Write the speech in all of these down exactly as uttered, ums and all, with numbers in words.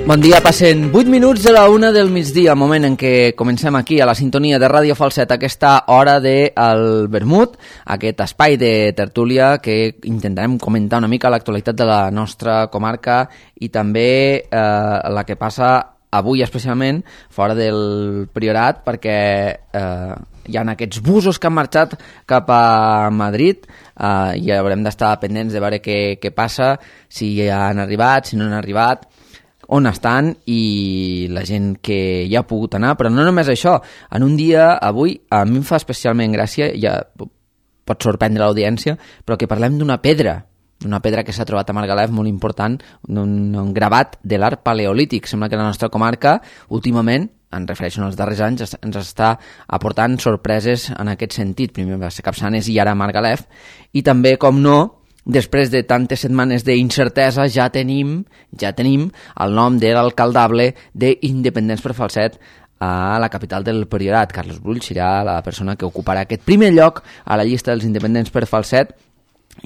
Bon dia, passen vuit minuts de la una del migdia, moment en què comencem aquí a la sintonia de Ràdio Falset aquesta hora del Vermut, aquest espai de tertúlia que intentarem comentar una mica l'actualitat de la nostra comarca i també eh, la que passa avui especialment fora del Priorat, perquè eh, hi ha aquests busos que han marxat cap a Madrid eh, i haurem d'estar pendents de veure què, què passa, si han arribat, si no han arribat, on estan i la gent que ja ha pogut anar, però no només això. En un dia, avui, a mi em fa especialment gràcia, ja pot sorprendre l'audiència, però que parlem d'una pedra, d'una pedra que s'ha trobat a Margalef molt important, un, un gravat de l'art paleolític. Sembla que la nostra comarca, últimament, en refereixo als darrers anys, ens està aportant sorpreses en aquest sentit. Primer va ser Capçanes i ara Margalef, i també, com no, després de tantes setmanes d'incertesa ja tenim ja tenim el nom de l'alcaldable d'Independents per Falset a la capital del Priorat. Carles Brull serà la persona que ocuparà aquest primer lloc a la llista dels Independents per Falset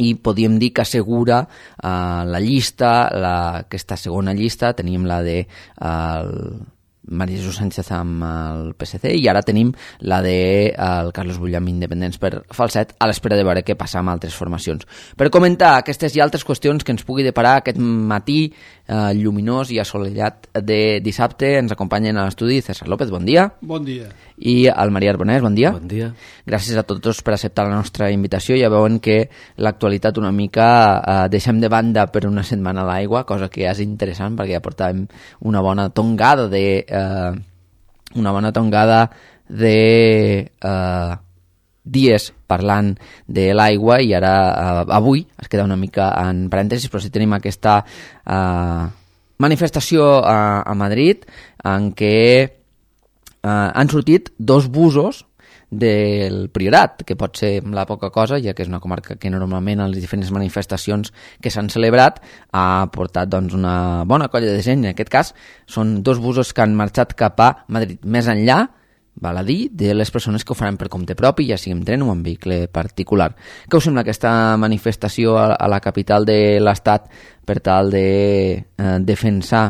i podríem dir que assegura uh, la llista, la, aquesta segona llista. Tenim la de uh, Maria Jesús Sánchez amb el P S C i ara tenim la de el Carles Brull amb Independents per Falset, a l'espera de veure què passa amb altres formacions. Per comentar aquestes i altres qüestions que ens pugui deparar aquest matí eh, lluminós i assolellat de dissabte, ens acompanyen a l'estudi César López, bon dia. Bon dia. I el Maria Arbonès, bon dia. Bon dia. Gràcies a tots per acceptar la nostra invitació. Ja veuen que l'actualitat una mica eh, deixem de banda per una setmana a l'aigua, cosa que és interessant perquè ja portàvem una bona tongada de eh, una bona tongada de eh, dies parlant de l'aigua i ara eh, avui es queda una mica en parèntesis, però sí tenim aquesta eh, manifestació a, a Madrid en què Uh, han sortit dos busos del Priorat, que pot ser la poca cosa, ja que és una comarca que normalment a les diferents manifestacions que s'han celebrat ha portat doncs, una bona colla de gent. En aquest cas són dos busos que han marxat cap a Madrid, més enllà, val a dir, de les persones que ho faran per compte propi, ja sigui en tren o en vehicle particular. Què us sembla aquesta manifestació a, a la capital de l'Estat per tal de eh, defensar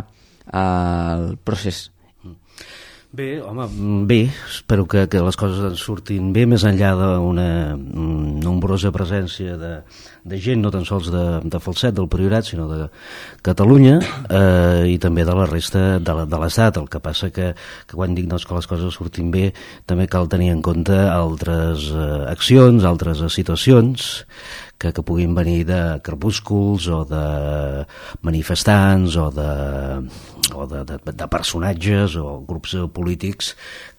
eh, el procés? Bé, home, bé, espero que, que les coses ens surtin bé, més enllà d'una nombrosa presència de, de gent, no tan sols de, de Falset, del Priorat, sinó de Catalunya eh, i també de la resta de, la, de l'Estat. El que passa que, que quan dic doncs, que les coses surtin bé, també cal tenir en compte altres eh, accions, altres eh, situacions que, que puguin venir de crepúsculs o de manifestants o de, o de, de, de personatges o grups polítics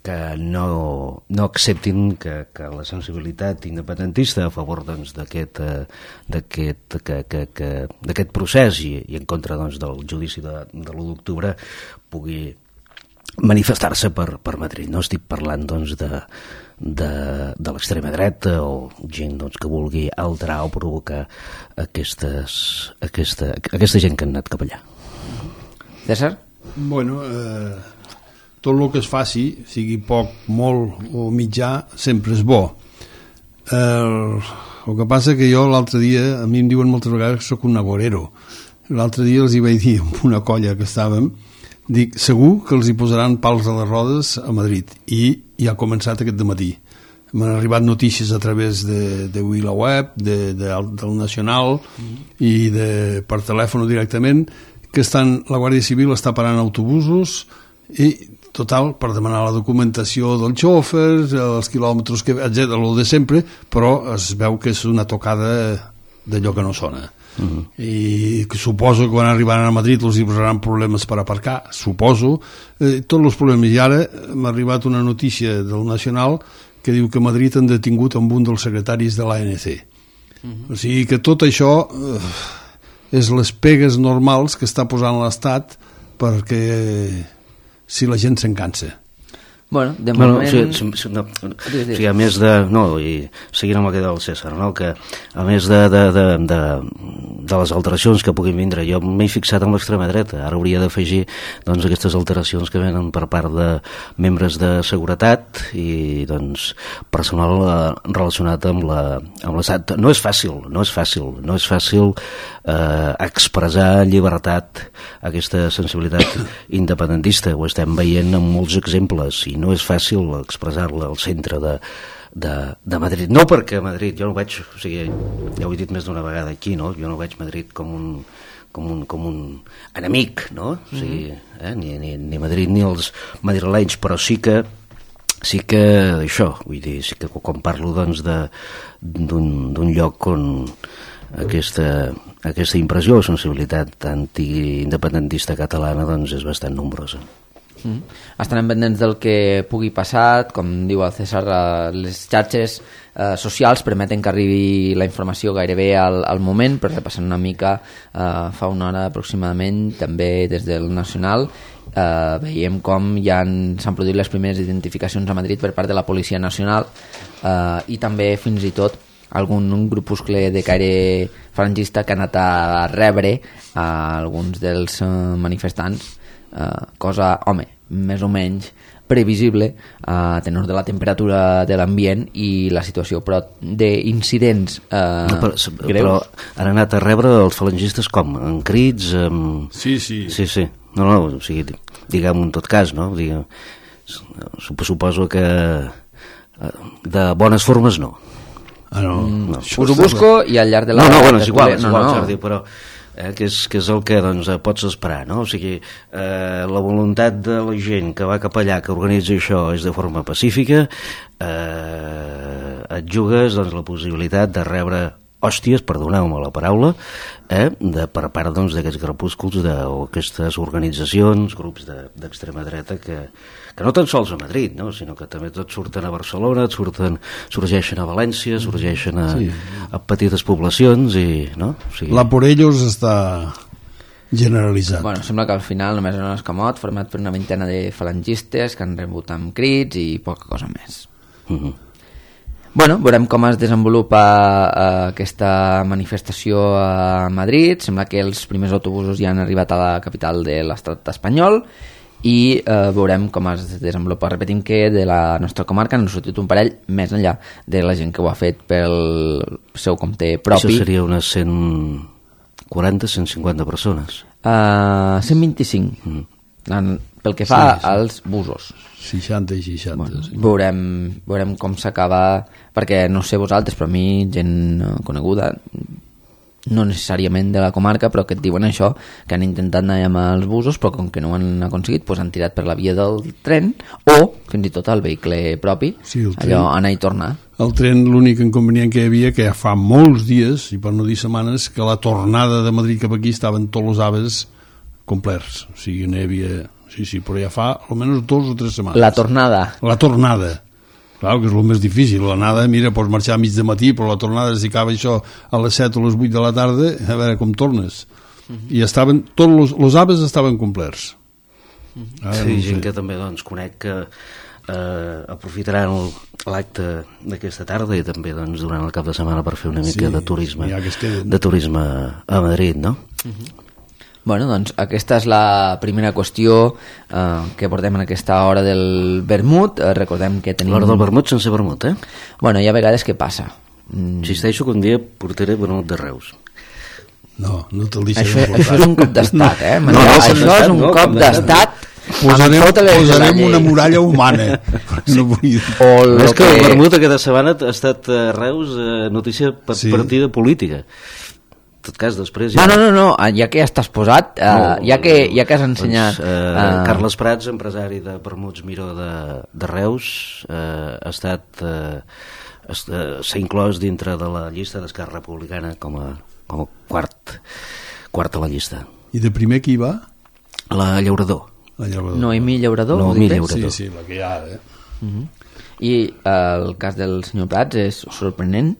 que no, no acceptin que, que la sensibilitat independentista a favor doncs, d'aquest, d'aquest, que, que, que, d'aquest procés i, i en contra doncs, del judici de, de l'u d'octubre pugui manifestar-se per, per Madrid. No estic parlant doncs, de, de, de l'extrema dreta o gent doncs, que vulgui alterar o provocar aquestes, aquesta, aquesta gent que han anat cap allà. César? Bueno, eh, tot el que es faci, sigui poc, molt o mitjà, sempre és bo. Eh, el que passa que jo l'altre dia, a mi em diuen moltes vegades que sóc un agorero. L'altre dia els hi vaig dir amb una colla que estàvem, dic, segur que els hi posaran pals a les rodes a Madrid, i ja ha començat aquest dematí. M'han arribat notícies a través de, de la web, de, de, del Nacional mm. i de, per telèfon directament, que estan, la Guàrdia Civil està parant autobusos i, total, per demanar la documentació dels xòfers, els quilòmetres, que, etcètera, el de sempre, però es veu que és una tocada d'allò que no sona. Uh-huh. I que suposo que quan arribaran a Madrid els hi posaran problemes per aparcar, suposo, eh, tots els problemes. I ara m'ha arribat una notícia del Nacional que diu que a Madrid han detingut amb un dels secretaris de l'A N C. Uh-huh. O sigui que tot això eh, és les pegues normals que està posant l'Estat perquè si la gent se'n cansa. Bueno, de bueno, moment... o sigui, no, o sigui, a més de... No, i seguint amb el que deia el César, no? Que a més de, de, de, de, de les alteracions que puguin vindre, jo m'he fixat en l'extrema dreta, ara hauria d'afegir doncs, aquestes alteracions que venen per part de membres de seguretat i doncs, personal eh, relacionat amb la, amb l'estat. No és fàcil, no és fàcil, no és fàcil eh, expressar llibertat, aquesta sensibilitat independentista, ho estem veient en molts exemples i no és fàcil expressar-la al centre de, de, de Madrid. No perquè Madrid, jo no veig, o sigui, ja ho he dit més d'una vegada aquí, no? Jo no veig Madrid com un, com un, com un enemic, no? O sigui, eh? ni, ni, ni Madrid ni els madrilenys, però sí que sí que això, vull dir, sí que quan parlo doncs d'un lloc on aquesta, aquesta impressió o sensibilitat antiindependentista catalana doncs és bastant nombrosa. Mm. Estarem pendents del que pugui passar, com diu el César, les xarxes eh, socials permeten que arribi la informació gairebé al, al moment, però repassant una mica eh, fa una hora aproximadament també des del Nacional eh, veiem com ja s'han produït les primeres identificacions a Madrid per part de la Policia Nacional eh, i també fins i tot algun un grupuscle de caire falangista que ha anat a rebre a alguns dels eh, manifestants. Uh, cosa, home, més o menys previsible a tenor de la temperatura de l'ambient i la situació, però d'incidents uh, no, però, greus... Però han anat a rebre els falangistes com? En crits? Amb... Sí, sí. Sí, sí. No, no, o sigui, diguem en tot cas, no? Diguem, suposo que de bones formes no. Ah, no. Mm, no. Us ho busco i al llarg de la... No, no, bueno, és igual, és igual, no, no. Jordi, però... Eh, que, és, que és el que doncs, pots esperar, no? O sigui, eh, la voluntat de la gent que va cap allà, que organitza això, és de forma pacífica, eh, et jugues doncs, la possibilitat de rebre hòsties, perdoneu-me la paraula, eh, de, per part doncs, d'aquests grupuscles de, o aquestes organitzacions, grups d'extrema de, dreta que, que no tan sols a Madrid, no? Sinó que també tot surten a Barcelona, et surten, sorgeixen a València, sorgeixen a, sí. a petites poblacions i, no? O sigui... La por ellos està generalitzat. Bueno, sembla que al final només era un escamot format per una vintena de falangistes que han rebut amb crits i poca cosa més. Uh-huh. Bueno, veurem com es desenvolupa eh, aquesta manifestació a Madrid. Sembla que els primers autobusos ja han arribat a la capital de l'estat espanyol i eh, veurem com es desenvolupa. Repetim que de la nostra comarca n'han sortit un parell més enllà de la gent que ho ha fet pel seu compte propi. Això seria unes cent quaranta a cent cinquanta persones. Uh, cent vint-i-cinc. Mm. En, pel que fa sí, sí. als busos. seixanta i seixanta. Bueno, sí. veurem, veurem com s'acaba, perquè no sé vosaltres, però a mi gent coneguda, no necessàriament de la comarca, però que et diuen això, que han intentat anar amb els busos, però com que no ho han aconseguit, doncs han tirat per la via del tren o fins i tot el vehicle propi, sí, el allò anar i tornar. El tren, l'únic inconvenient que hi havia, que ja fa molts dies, i per no dir setmanes, que la tornada de Madrid cap aquí estaven tots els aves complerts, o sigui, n'hi havia... Sí, sí, però ja fa almenys dos o tres setmanes. La tornada. La tornada. Clar, que és el més difícil. L'anada, mira, pots marxar a mig de matí, però la tornada, si acaba això a les set o les vuit de la tarda, a veure com tornes. Uh-huh. I estaven, tots els, els aves estaven complerts. Uh-huh. Ara, sí, no gent sé. Que també, doncs, conec que eh, aprofitaran l'acte d'aquesta tarda i també, doncs, durant el cap de setmana per fer una mica sí, de turisme, ja de turisme a Madrid, no? Uh-huh. Bueno, doncs aquesta és la primera qüestió eh, que portem en aquesta hora del vermut. Eh, recordem que tenim... L'hora del vermut sense vermut, eh? Bueno, hi ha vegades que passa. Mm. Insisteixo que un dia portaré vermut de Reus. No, no te'l deixaré això, portar. això és un cop d'estat, eh? No, no, això és un no, cop d'estat. Posarem, posarem una muralla humana. Sí. No vull... o és que, que el vermut aquesta setmana ha estat a Reus eh, notícia per sí. partida política. En tot cas, després... Ja... No, no, no, no, ja que ja estàs posat, uh, no, ja, que, ja que has ensenyat... Doncs, uh, uh... Carles Prats, empresari de Vermuts Miró de, de Reus, uh, ha estat... Uh, s'ha inclòs dintre de la llista d'Esquerra Republicana com a, com a quart, quart a la llista. I de primer qui va? La Llaurador. La Llaurador. Noemí Llaurador? Noemí Llaurador. Sí, sí, la que hi ha, eh? Uh-huh. I uh, el cas del senyor Prats és sorprenent?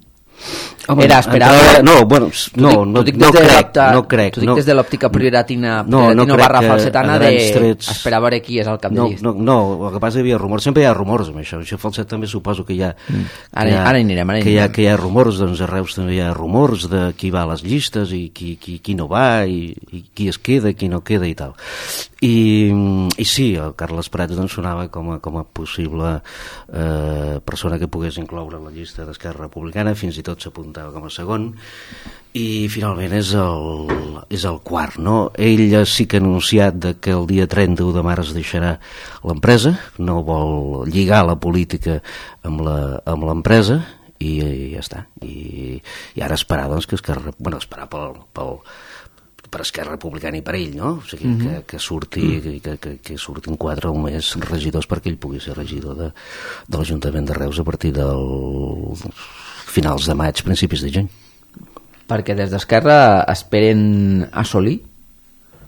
Home, era esperable. Entrava, no, bueno, no, no, dic, no, no, crec, no crec. T'ho dic no, des de l'òptica prioratina, no, prioratina no barra que falsetana de trets... esperar a veure qui és el cap no, de llista. No, no, el que passa hi havia rumors, sempre hi ha rumors amb això, això falset també suposo que hi ha... Mm. Ara, que hi ha, ara hi anirem, ara hi que hi ha, anirem. que hi ha rumors, doncs a Reus també hi ha rumors de qui va a les llistes i qui, qui, qui no va i, i qui es queda, qui no queda i tal. I, i sí, el Carles Prats doncs sonava com a, com a possible eh, persona que pogués incloure la llista d'Esquerra Republicana, fins i tot s'apuntava com a segon, i finalment és el, és el quart, no? Ell sí que ha anunciat de que el dia trenta-u de març deixarà l'empresa, no vol lligar la política amb la, amb l'empresa, i, i ja està. I, i ara esperar, doncs, que Esquerra... Bueno, esperar pel... pel per Esquerra Republicana i per ell, no? O sigui, mm-hmm. que, que surti mm. que, que, que surtin quatre o més regidors perquè ell pugui ser regidor de, de l'Ajuntament de Reus a partir dels finals de maig, principis de juny. Perquè des d'Esquerra esperen assolir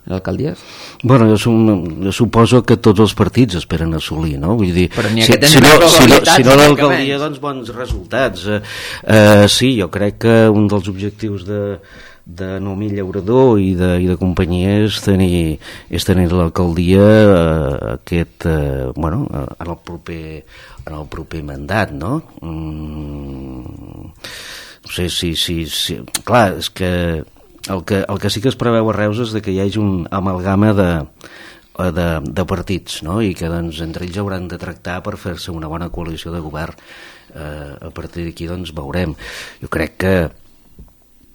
l'alcaldies? Bueno, jo, sum, jo suposo que tots els partits esperen assolir, no? Vull dir, però n'hi ha si, que tenen si no, si no, si no menys. l'alcaldia, doncs bons resultats. Eh, eh, sí, jo crec que un dels objectius de de Noemí Llaurador i de, i de companyia és tenir, és tenir l'alcaldia eh, aquest, eh, bueno, en el proper en el proper mandat, no? Mm, no sé si, si, si... Clar, és que el, que el que sí que es preveu a Reus és de que hi hagi un amalgama de, de, de partits, no? I que doncs, entre ells hauran de tractar per fer-se una bona coalició de govern. Eh, a partir d'aquí doncs veurem. Jo crec que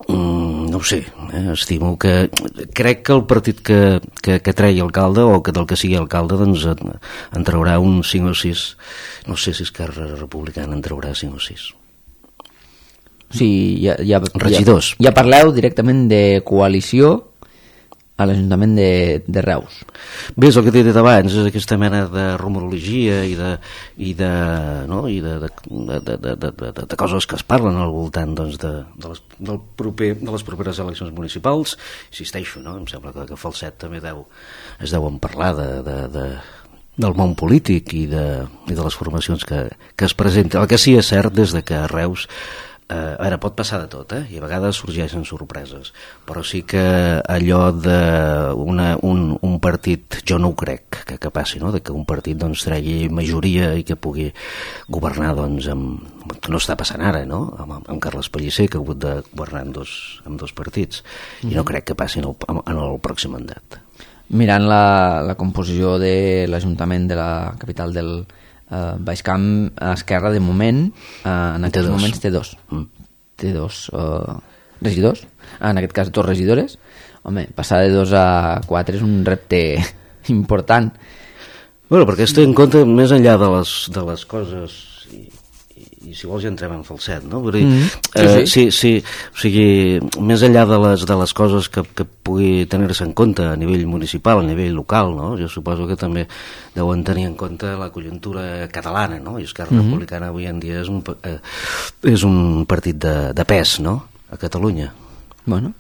Mm, no ho sé, eh? Estimo que crec que el partit que, que, que tregui alcalde o que del que sigui alcalde doncs en, en traurà un cinc o sis, no sé si Esquerra Republicana en traurà cinc o sis. Sí, ja, ja, regidors. Ja, ja parleu directament de coalició a l'Ajuntament de, de Reus. Bé, és el que t'he dit abans, és aquesta mena de rumorologia i de, i de, no? I de, de, de, de, de, de, de, de coses que es parlen al voltant doncs, de, de, les, del proper, de les properes eleccions municipals. Insisteixo, no? Em sembla que, que Falset també deu, es deuen parlar de, de, de, del món polític i de, i de les formacions que, que es presenten. El que sí és cert des de que a Reus Eh, ara pot passar de tot, eh? I a vegades sorgeixen sorpreses, però sí que allò de una, un, un partit, jo no ho crec que, que passi, no? De que un partit doncs, tregui majoria i que pugui governar doncs, amb, que no està passant ara, no? Amb, amb Carles Pellicer, que ha hagut de governar amb dos, amb dos partits, mm-hmm. i no crec que passi en el, en el pròxim mandat. Mirant la, la composició de l'Ajuntament de la capital del Uh, Baixcamp, a Esquerra de moment uh, en aquests moments té dos mm. té dos uh, regidors, en aquest cas dos regidores. Home, passar de dos a quatre és un repte important. Bueno, perquè es té en compte més enllà de les, de les coses i, i, i si vols ja entrem en Falset, no? Vull dir, mm-hmm. sí, eh, sí. Sí, sí, o sigui, més enllà de les, de les coses que, que pugui tenir-se en compte a nivell municipal, a nivell local, no? Jo suposo que també deuen tenir en compte la conjuntura catalana, no? I Esquerra mm-hmm. Republicana avui en dia és un, eh, és un partit de, de pes, no? A Catalunya. Bueno,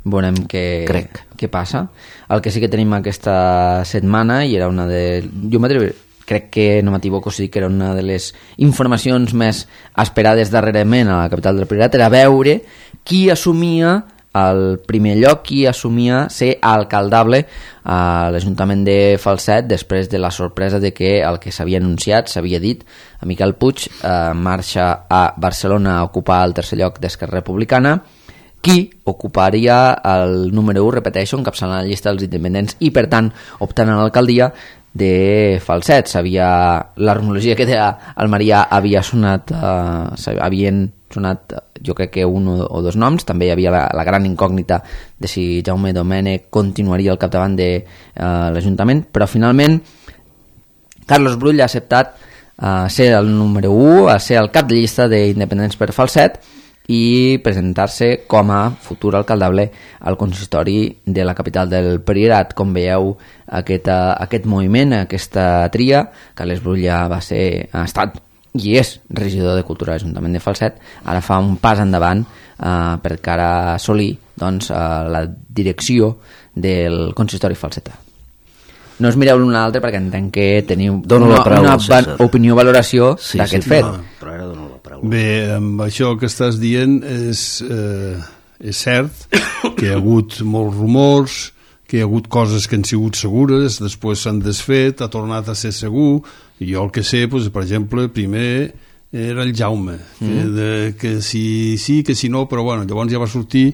veurem què, Crec. què passa. El que sí que tenim aquesta setmana, i era una de... Jo m'atreviré, crec que no m'equivoco, sí que era una de les informacions més esperades darrerament a la capital del Priorat, era veure qui assumia el primer lloc, qui assumia ser alcaldable a l'Ajuntament de Falset després de la sorpresa de que el que s'havia anunciat, s'havia dit, a Miquel Puig eh, marxa a Barcelona a ocupar el tercer lloc d'Esquerra Republicana, qui ocuparia el número u, repeteixo, encapçalant la llista dels independents i, per tant, optant a l'alcaldia de Falset. Sabia, la rumorologia que deia el Marià havia sonat, eh, havien sonat, jo crec que un o dos noms, també hi havia la, la gran incògnita de si Jaume Domènech continuaria al capdavant de eh, l'Ajuntament, però finalment Carlos Brull ha acceptat eh, ser el número u, a ser el cap de llista d'independents per Falset i presentar-se com a futur alcaldable al consistori de la capital del Priorat. Com veieu, aquest, aquest moviment, aquesta tria, Carles Brull ja va ser, ha estat i és regidor de Cultura de l'Ajuntament de Falset, ara fa un pas endavant eh, per cara a assolir doncs, eh, la direcció del consistori falsetà. No us mireu l'un a l'altre perquè entenc que teniu dono una, la paraula, una va- opinió, valoració sí, d'aquest sí, fet. no, però ara dono la paraula. Bé, amb això que estàs dient és, eh, és cert que hi ha hagut molts rumors, que hi ha hagut coses que han sigut segures, després s'han desfet, ha tornat a ser segur, i jo el que sé, doncs, per exemple, primer era el Jaume, mm. que, de, que si sí, que si no, però bueno, llavors ja va sortir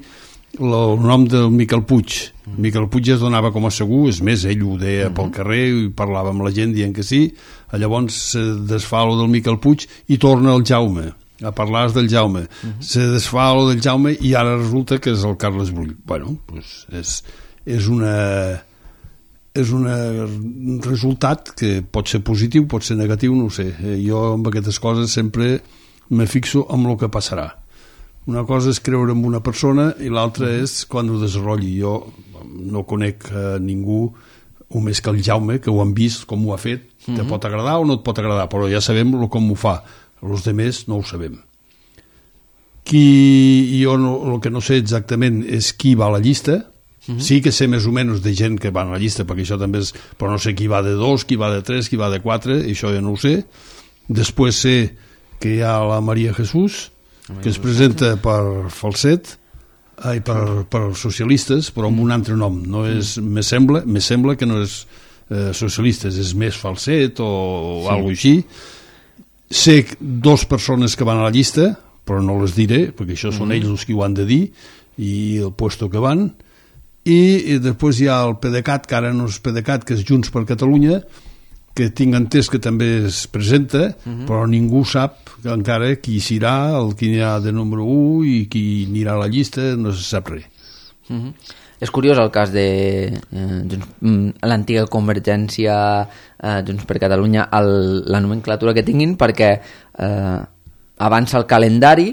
el, el nom del Miquel Puig. Mm. Miquel Puig ja es donava com a segur, és més, ell ho deia mm. pel carrer i parlava amb la gent dient que sí, llavors se desfà lo del Miquel Puig i torna el Jaume, a parlar del Jaume. Mm-hmm. Se desfà lo del Jaume i ara resulta que és el Carles Brull. Bueno, doncs és, és una... és una, un resultat que pot ser positiu, pot ser negatiu, no ho sé. Jo amb aquestes coses sempre me fixo amb el que passarà. Una cosa és creure en una persona i l'altra és quan ho desenvolupi. Jo no conec a ningú o més que el Jaume, que ho han vist com ho ha fet. Mm-hmm. Te pot agradar o no et pot agradar, però ja sabem com ho fa. Els altres no ho sabem. Qui, jo no, el que no sé exactament és qui va a la llista. Mm-hmm. Sí que sé més o menys de gent que va a la llista, perquè això també és, però no sé qui va de dos, qui va de tres, qui va de quatre, això ja no ho sé. Després sé que hi ha la Maria Jesús, que es presenta per Falset, ai, per, per socialistes, però amb un altre nom. No és, mm. me sembla, me sembla que no és eh, socialistes, és més Falset o, o sí. alguna així. Sé dos persones que van a la llista, però no les diré, perquè això són mm. ells els que ho han de dir, i el puesto que van. I, i després hi ha el PDeCAT, que ara no és PDeCAT, que és Junts per Catalunya, que tinc entès que també es presenta, uh-huh. però ningú sap encara qui serà, el qui hi ha de número u i qui anirà a la llista, no se sap res. Uh-huh. És curiós el cas de eh, l'antiga Convergència, eh, Junts per Catalunya, el, la nomenclatura que tinguin, perquè eh, avança el calendari.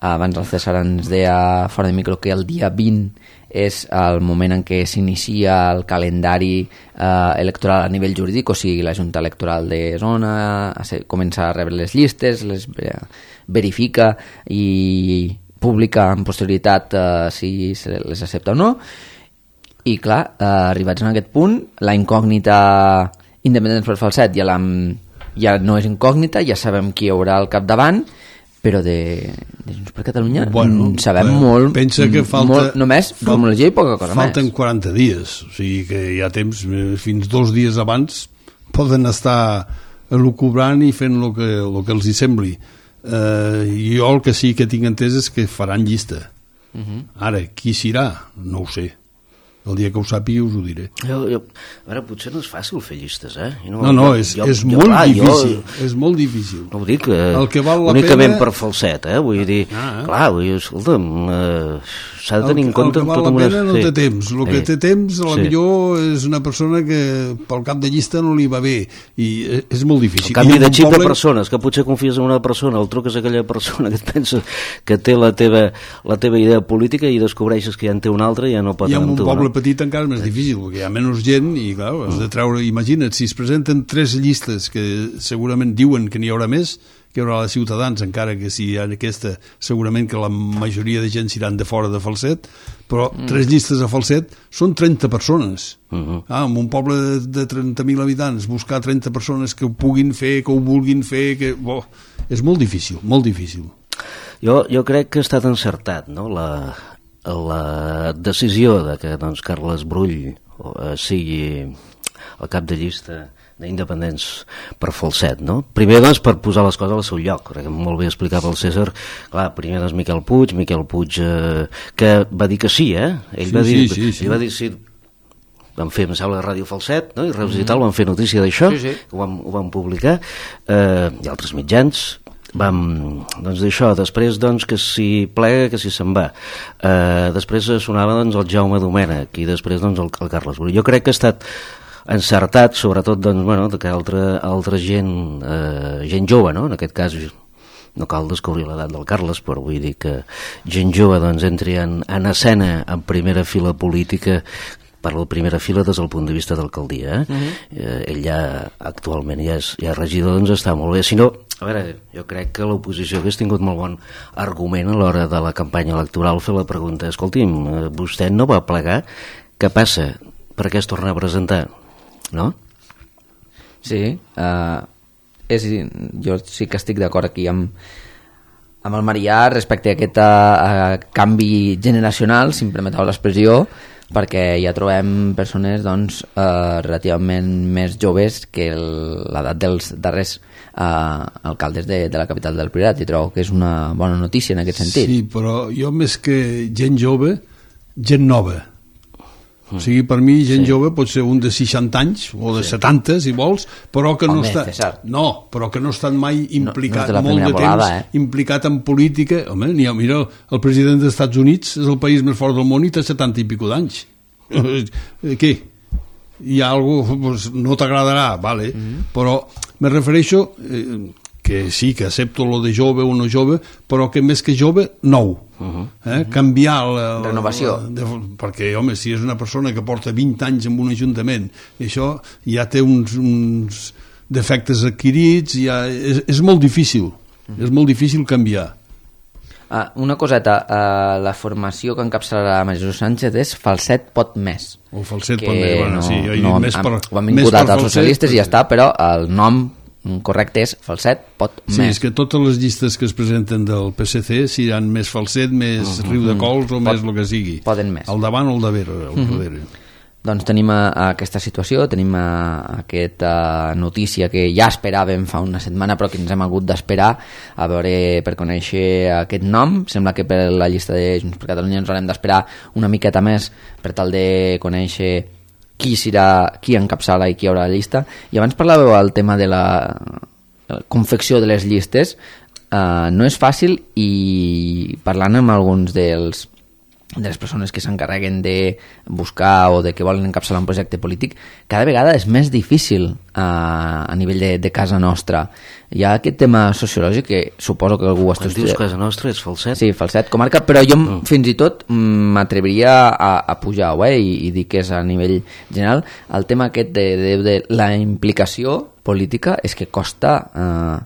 Abans el César ens deia fora de micro que el dia vint és el moment en què s'inicia el calendari eh, electoral a nivell jurídic, o sigui, la Junta Electoral de zona comença a rebre les llistes, les verifica i publica en posterioritat eh, si se les accepta o no. I clar, eh, arribats en aquest punt, la incògnita Independents per Falset ja, la, ja no és incògnita, ja sabem qui hi haurà al capdavant, però de, de Junts per Catalunya bueno, sabem bueno, molt, pensa que falta, molt només formologia i poca cosa falten més. Falten quaranta dies, o sigui que hi ha temps, fins dos dies abans poden estar elucubrant i fent el que, el que els hi sembli. Eh, jo el que sí que tinc entès és que faran llista. Uh-huh. Ara, qui serà? No ho sé. El dia que ho sàpiga us ho diré. Jo, jo, a veure, potser no és fàcil fer llistes, eh? No, no, no és, jo, és jo, molt clar, difícil. Jo, és molt difícil. No ho dic, eh, el que val la únicament pena... per Falset, eh? Vull dir, ah, eh? clar, vull dir, escolta'm, eh, s'ha de tenir en compte... El que val la pena no té temps. El que té temps, a la millor és una persona que pel cap de llista no li va bé. I és molt difícil. El canvi de xip de persones, que potser confies en una persona, el truques a aquella persona que et pensa que té la teva, la teva idea política i descobreixes que ja en té una altra i ja no pot anar amb tu. Petit encara és més difícil, perquè hi ha menys gent i clar, has de treure, imagina't, si es presenten tres llistes que segurament diuen que n'hi haurà més, que hi haurà de Ciutadans, encara que si hi ha aquesta, segurament que la majoria de gent seran de fora de Falset, però mm. tres llistes a Falset són trenta persones. Uh-huh. Ah, en un poble de, de trenta mil habitants, buscar trenta persones que ho puguin fer, que ho vulguin fer, que... Bo, és molt difícil, molt difícil. Jo, jo crec que ha estat encertat, no?, la... la decisió de que doncs, Carles Brull eh, sigui el cap de llista d'Independents per Falset, no? Primer, doncs, per posar les coses al seu lloc, perquè molt bé explicava el César, clar, primer, doncs, Miquel Puig, Miquel Puig, eh, que va dir que sí, eh? Ell sí, va dir, sí, sí, sí. Ell va dir sí, van fer, em sembla, Ràdio Falset, no? I Reus mm-hmm. i tal, van fer notícia d'això, sí, sí. ho van, ho van publicar, eh, i altres mitjans, vam, doncs d'això, després doncs que si plega, que si se'n va, eh, després sonava doncs el Jaume Domènech i després doncs el, el Carles Brull. Jo crec que ha estat encertat, sobretot doncs, bueno, que altra, altra gent, eh, gent jove, no? En aquest cas no cal descobrir l'edat del Carles, però vull dir que gent jove doncs entri en, en escena en primera fila política, parlo de primera fila des del punt de vista d'alcaldia, eh? Uh-huh. eh, ell ja actualment ja és, ja és regidor, doncs està molt bé. Si no, a veure, jo crec que l'oposició hagués tingut molt bon argument a l'hora de la campanya electoral fer la pregunta, escolti'm, vostè no va plegar, què passa? Per què es torna a presentar? No? Sí, uh, és, jo sí que estic d'acord aquí amb, amb el Marià respecte a aquest uh, canvi generacional, si em permeteu l'expressió, perquè ja trobem persones doncs, uh, relativament més joves que l'edat dels darrers uh, alcaldes de, de la capital del Priorat, i trobo que és una bona notícia en aquest sentit. Sí, però jo més que gent jove, gent nova. O sigui, per mi, gent sí. jove pot ser un de seixanta anys o de sí. setanta, si vols, però que no Home, està... César. No, però que no ha estat mai implicat, no, no molt de volada, temps, eh? implicat en política. Home, ha, mira, el president dels Estats Units és el país més fort del món i té setanta i pico d'anys. Què? Hi ha alguna cosa... Pues, no t'agradarà, vale, mm-hmm. però me refereixo... Eh, que sí, que accepto lo de jove o no jove, però que més que jove, nou. Uh-huh. Eh? Canviar la, la renovació. La, de, perquè, home, si és una persona que porta vint anys en un ajuntament, i això ja té uns, uns defectes adquirits, ja és, és molt difícil. Uh-huh. És molt difícil canviar. Ah, una coseta, uh, la formació que encapçalarà Maria Sánchez és Falset pot més. O Falset pot més, bueno, no, sí. Jo he no, dit més per, ho han vinculat als socialistes Falset, i ja està, però el nom correcte és Falset pot sí, més. Sí, és que totes les llistes que es presenten del P S C seran més Falset, més uh-huh. Riu de Cols o pot, més el que sigui. Poden més. Al davant o al darrere. Al uh-huh. darrere. Doncs tenim a, a aquesta situació, tenim a, a aquesta notícia que ja esperàvem fa una setmana però que ens hem hagut d'esperar a veure per conèixer aquest nom. Sembla que per la llista de Junts per Catalunya ens haurem d'esperar una miqueta més per tal de conèixer qui serà, qui encapçala i qui haurà la llista. I abans parlàveu del tema de la confecció de les llistes. Uh, no és fàcil, i parlant amb alguns dels de les persones que s'encarreguen de buscar o de que volen encapçalar un projecte polític, cada vegada és més difícil uh, a nivell de, de casa nostra. Hi ha aquest tema sociològic que suposo que algú... Quan dius casa nostra és Falset? Sí, Falset, comarca, però jo mm. fins i tot m'atreviria a, a pujar-ho, eh, i, i dir que és a nivell general. El tema aquest de, de, de la implicació política és que costa eh,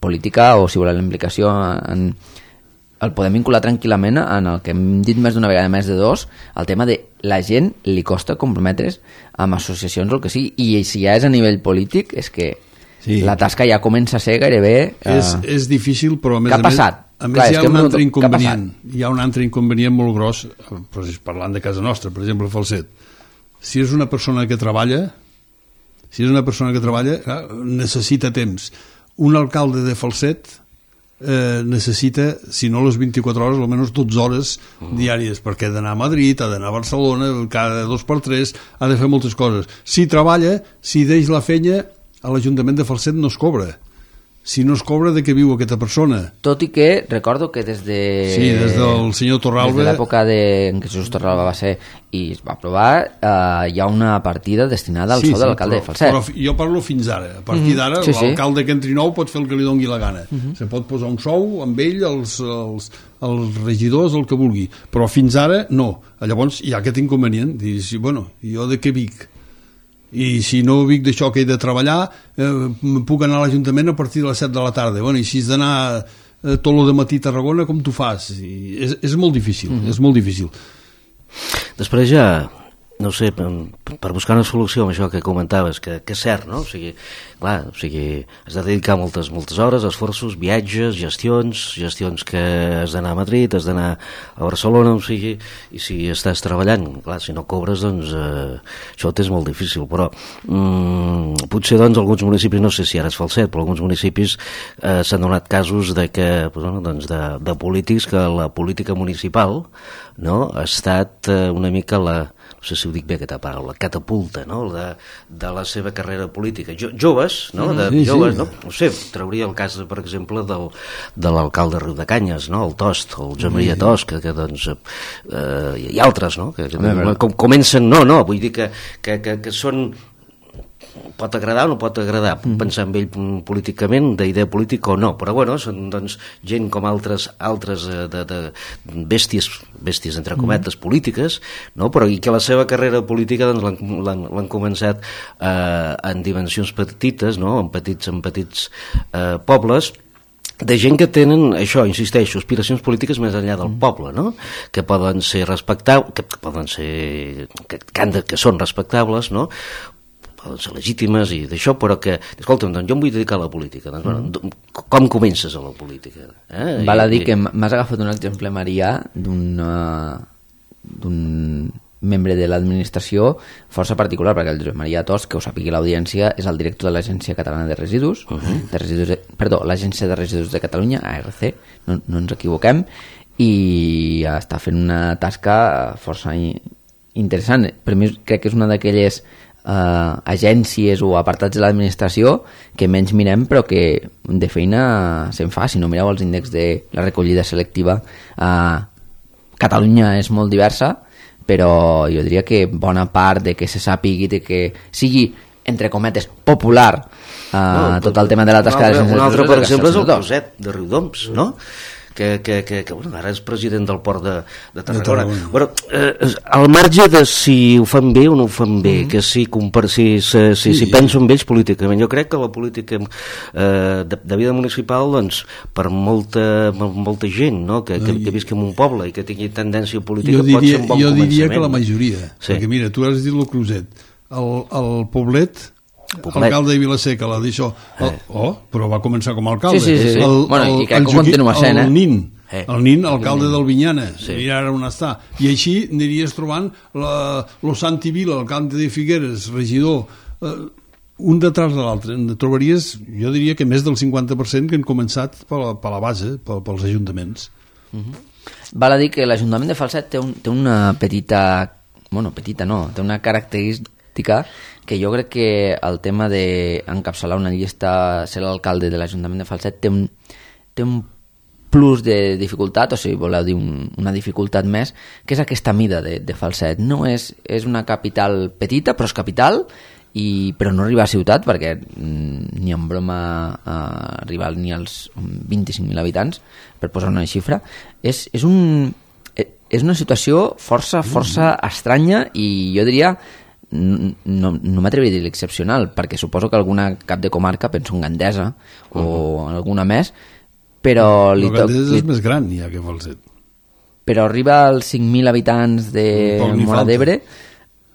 política, o si voleu la implicació en... el podem vincular tranquil·lament en el que hem dit més d'una vegada, més de dos, el tema de la gent li costa comprometre's amb associacions o el que sigui, i si ja és a nivell polític és que sí. La tasca ja comença a ser gairebé... Eh... És, és difícil, però a més a més, a més Clar, hi ha un altre inconvenient. Hi ha un altre inconvenient molt gros, parlant de casa nostra, per exemple, Falset. Si és una persona que treballa, si és una persona que treballa, necessita temps. Un alcalde de Falset Eh, necessita, si no les vint-i-quatre hores, almenys dotze hores diàries, perquè ha d'anar a Madrid, ha d'anar a Barcelona, cada dos per tres ha de fer moltes coses. Si treballa, si deix la feina, a l'Ajuntament de Falset no es cobra. Si no es cobra, de què viu aquesta persona? Tot i que recordo que des de... Sí, des del senyor Torralba... Des de l'època de... en què Jesús Torralba va ser i es va aprovar, eh, hi ha una partida destinada al sí, sou sí, de l'alcalde de Falset. Però jo parlo fins ara. A partir d'ara, mm-hmm. sí, l'alcalde sí. que entri nou pot fer el que li doni la gana. Mm-hmm. Se pot posar un sou amb ell, els, els, els regidors, el que vulgui. Però fins ara, no. Llavors hi ha aquest inconvenient. Dius, bueno, jo de què vic? I si no vic d'això que he de treballar, eh, puc anar a l'Ajuntament a partir de les set de la tarda. Bueno, i si has d'anar eh, tot el matí a Tarragona, com tu fas? I és, és molt difícil, mm-hmm. és molt difícil. Després ja, no sé, per, per buscar una solució amb això que comentaves, que, que és cert, no? O sigui, clar, o sigui, has de dedicar moltes, moltes hores, esforços, viatges, gestions, gestions que has d'anar a Madrid, has d'anar a Barcelona, o sigui, i si estàs treballant, clar, si no cobres, doncs eh, això t'és molt difícil, però mm, potser, doncs, alguns municipis, no sé si ara és Falset, però alguns municipis eh, s'han donat casos de que, bueno, doncs, de, de polítics, que la política municipal, no?, ha estat eh, una mica la, no sé si ho dic bé aquesta paraula, catapulta, no?, de, de la seva carrera política. Jo, joves, no?, de sí, joves, sí. no? No sé, trauria el cas, per exemple, del, de l'alcalde de Riudecanyes, no?, el Tost, el Joan Maria Tost, que, que doncs, eh, i altres, no?, que, que com, comencen, no, no, vull dir que, que, que, que són... pot agradar o no pot agradar, puc pensar en ell políticament, d'idea política o no, però bueno, són doncs gent com altres altres de, de bèsties, bèsties entre cometes polítiques, no? Però i que la seva carrera política doncs l'han començat eh, en dimensions petites, no? en petits, en petits eh, pobles, de gent que tenen, això, insisteixo, aspiracions polítiques més enllà del poble, no? Que poden ser respectables, que poden ser, que, que, han de, que són respectables, no? poden ser legítimes i d'això, però que, escolta'm, doncs jo em vull dedicar a la política. Doncs, bueno, mm. com comences a la política? Eh? Val a dir I, que m'has agafat un exemple, Marià, d'un d'un membre de l'administració força particular, perquè el Josep Maria Tos, que ho sàpigui l'audiència, és el director de l'Agència Catalana de Residus, uh -huh. de residus de, perdó, l'Agència de Residus de Catalunya, A R C, no, no ens equivoquem, i està fent una tasca força interessant. Per mi crec que és una d'aquelles uh, agències o apartats de l'administració que menys mirem, però que de feina se'n fa. Si no mireu els índexs de la recollida selectiva, uh, Catalunya és molt diversa, però jo diria que bona part de que se sàpigui, de que sigui, entre cometes, popular uh, no, tot el tema de la tasca de l'agència. Un altre, per exemple, és el Roset de Riudoms, no?, que, que, que, que bueno, ara és president del port de, de Tarragona. De bueno, eh, al marge de si ho fan bé o no ho fan bé, mm. que si, compar, si, si, si, si penso en ells políticament, jo crec que la política eh, de, de vida municipal, doncs, per molta, molta gent, no?, que, que, que visqui en un poble i que tingui tendència política, jo diria, pot ser un bon jo començament. Jo diria que la majoria, sí. Perquè mira, tu has dit el Cruset, el, el Poblet, Poblet. Alcalde de Vilaseca, l'ha dit això, el, oh, però va començar com a alcalde. Sí, sí, sí. El, bueno, el, i crec que continua sent, eh? El Nin, eh. el Nin, alcalde del Vinyana, sí. Mira ara on està. I així aniries trobant la, lo Santi Vila, alcalde de Figueres, regidor, eh, un detrás de l'altre. Trobaries, jo diria que més del cinquanta per cent que han començat per la, per la base, per, pels ajuntaments. Uh-huh. Val a dir que l'Ajuntament de Falset té, un, té una petita, bueno, petita no, té una característica que jo crec que el tema d'encapçalar una llista, ser l'alcalde de l'Ajuntament de Falset, té un, té un plus de dificultat, o si voleu dir un, una dificultat més, que és aquesta mida de, de Falset. No és, és una capital petita, però és capital, i, però no arriba a ciutat, perquè mm, ni en broma eh, arriba ni als vint-i-cinc mil habitants, per posar una xifra. És, és, un, és una situació força, força estranya, i jo diria no, no m'atreviria a dir l'excepcional, perquè suposo que alguna cap de comarca, penso en Gandesa o uh-huh. alguna més, però li toca... Gandesa és més gran ja que Falset, però arriba als cinc mil habitants de Móra d'Ebre.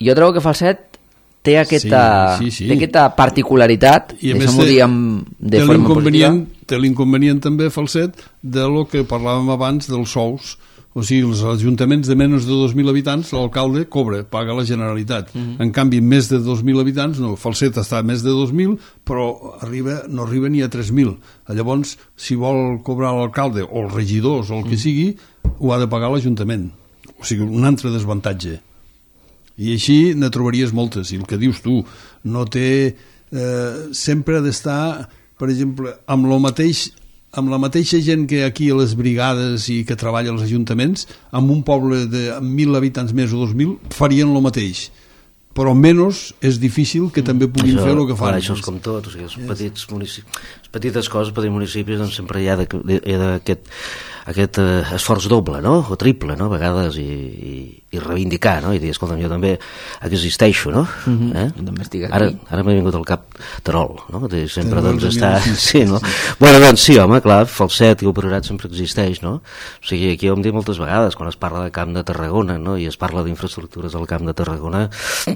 Jo trobo que Falset té aquesta, sí, sí, sí. té aquesta particularitat, deixem-ho dir amb, de forma positiva. Té l'inconvenient també Falset de lo que parlàvem abans dels sous. O sigui, els ajuntaments de menys de dos mil habitants, l'alcalde cobra, paga la Generalitat. Uh-huh. En canvi, més de dos mil habitants, no, Falset està a més de dos mil, però arriba, no arriba ni a tres mil. Llavors, si vol cobrar l'alcalde o els regidors o el que uh-huh. sigui, ho ha de pagar l'Ajuntament. O sigui, un altre desavantatge. I així ne trobaries moltes. I el que dius tu, no té... Eh, sempre ha d'estar, per exemple, amb lo mateix... amb la mateixa gent que aquí a les brigades i que treballa als ajuntaments, amb un poble de mil habitants més o dos mil, farien el mateix. Però menys és difícil que també puguin això, fer el que fan. Això és com tot, o sigui, els yes. petits municipis, les petites coses, petits municipis, doncs sempre hi ha d'aquest aquest eh, esforç doble, no?, o triple, no?, a vegades, i, i, i reivindicar, no?, i dir, escolta'm, jo també existeixo, no?, mm-hmm. eh? també estic aquí. Ara, ara m'ha vingut al cap Terol, no?, dir, sempre doncs està... Sí, no? Bueno, doncs sí, home, clar, Falset i el Priorat sempre existeix, no?, o sigui, aquí ho hem dit moltes vegades, quan es parla del Camp de Tarragona, no?, i es parla d'infraestructures al Camp de Tarragona,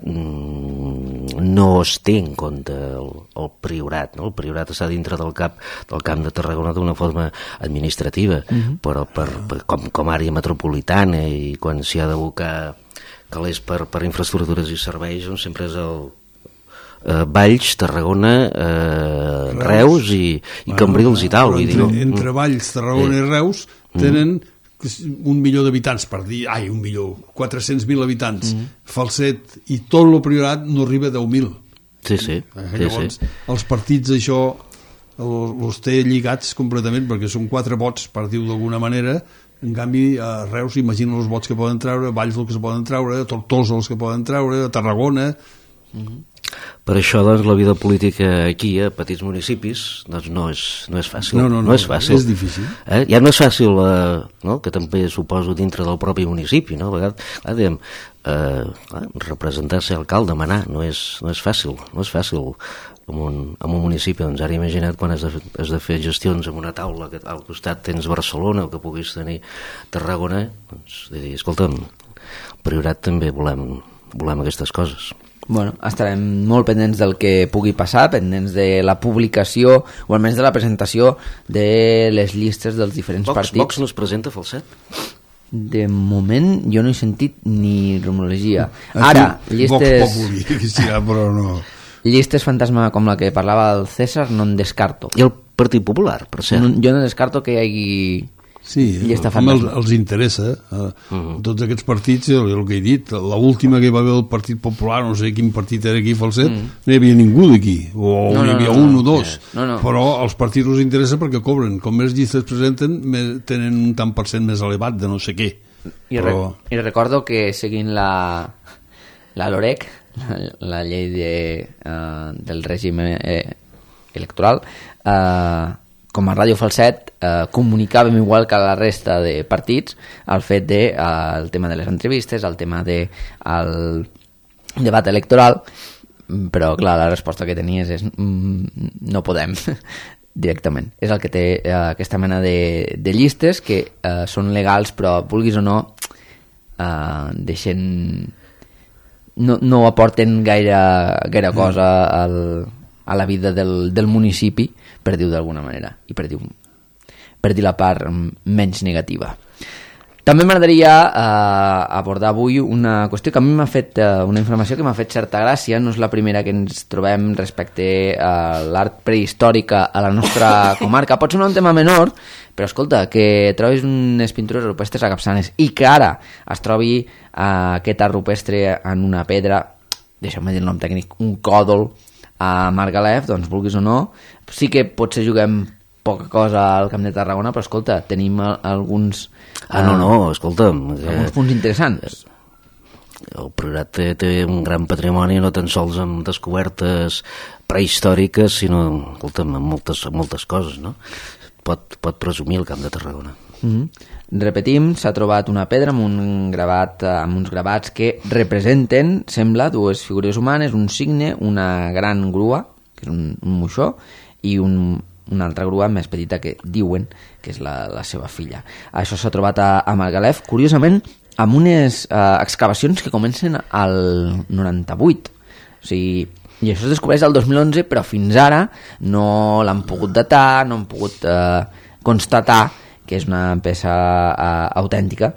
mmm, no es té en compte el, el Priorat, no?, el Priorat està dintre del cap del Camp de Tarragona d'una forma administrativa, mm-hmm. però per, per, com, com a àrea metropolitana, i quan s'hi ha d'abocar calés per, per infraestructures i serveis, doncs sempre és el eh, Valls, Tarragona, eh, Reus, Reus i, i bueno, Cambrils i tal. Entre, dic, entre Valls, Tarragona eh. i Reus tenen mm. un milió d'habitants, per dir, ai, un milió, quatre-cents mil habitants. Mm. Falset i tot el Priorat no arriba a deu mil. Sí, sí. Eh, sí, llavors, sí. els partits això els té lligats completament, perquè són quatre vots, per dir-ho d'alguna manera. En canvi, a Reus, imagina els vots que poden treure, Valls els que es poden treure, Tortosa els que poden treure, Tarragona... Mm-hmm. Per això, doncs, la vida política aquí, a petits municipis, doncs no és, no és fàcil. No, no, no, no és fàcil. És difícil. Eh? Ja no és fàcil, eh, no? Que també suposo dintre del propi municipi, no? A vegades, clar, diguem, eh, representar-se alcalde, manar, no és, no és fàcil, no és fàcil en un, en un municipi. Doncs ara imagina't quan has de, has de fer gestions en una taula que al costat tens Barcelona o que puguis tenir Tarragona, doncs de dir, escolta'm, Priorat també volem, volem aquestes coses. Bueno, estarem molt pendents del que pugui passar, pendents de la publicació o almenys de la presentació de les llistes dels diferents Vox, partits. Vox no es presenta, Falset? De moment jo no he sentit ni rumorologia. Ara, llistes... Vox Populi, que estirà, però no... Llistes fantasma com la que parlava el César no en descarto. I el Partit Popular, per cert. No, jo no descarto que hi hagi... Sí, com els, els interessa eh, uh-huh. tots aquests partits, el, el que he dit l'última que hi va haver el Partit Popular, no sé quin partit era aquí, Falset, uh-huh. no hi havia ningú d'aquí, o no, no, hi havia no, un no, o dos no, no. però als partits els interessa perquè cobren, com més llistes presenten més, tenen un tant per cent més elevat de no sé què. I, però... re, i recordo que seguint la la LOREC, la, la llei de, uh, del règim eh, electoral, eh com a Ràdio Falset eh, comunicàvem igual que la resta de partits el fet de, eh, el tema de les entrevistes, el tema de el debat electoral, però clar, la resposta que tenies és mm, no podem directament. És el que té eh, aquesta mena de, de llistes que eh, són legals però vulguis o no eh, deixen no, no aporten gaire, gaire cosa al, a la vida del, del municipi, per dir-ho d'alguna manera, i per dir, per dir la part menys negativa. També m'agradaria eh, abordar avui una qüestió que a mi m'ha fet, eh, una informació que m'ha fet certa gràcia, no és la primera que ens trobem respecte a l'art prehistòrica a la nostra comarca. Pot ser un tema menor, però escolta, que trobis unes pintures rupestres a Capçanes i que ara es trobi eh, aquest art rupestre en una pedra, deixeu-me dir el nom tècnic, un còdol, a Margalef, doncs vulguis o no, sí que potser juguem poca cosa al Camp de Tarragona, però escolta, tenim alguns... Ah, no, no, escolta'm... Alguns eh, punts interessants. El Priorat té, té un gran patrimoni, no tan sols amb descobertes prehistòriques, sinó, escolta'm, amb moltes, moltes coses, no? Pot, pot presumir el Camp de Tarragona. Mm-hmm. Repetim, s'ha trobat una pedra amb, un gravat, amb uns gravats que representen, sembla, dues figures humanes, un cigne, una gran grua, que és un, un moixó, i un, una altra grua més petita que diuen que és la, la seva filla. Això s'ha trobat a, a Margalef, curiosament, amb unes eh, excavacions que comencen al noranta-vuit. O sigui, i això es descobreix el dos mil onze, però fins ara no l'han pogut datar, no han pogut eh, constatar que és una peça uh, autèntica,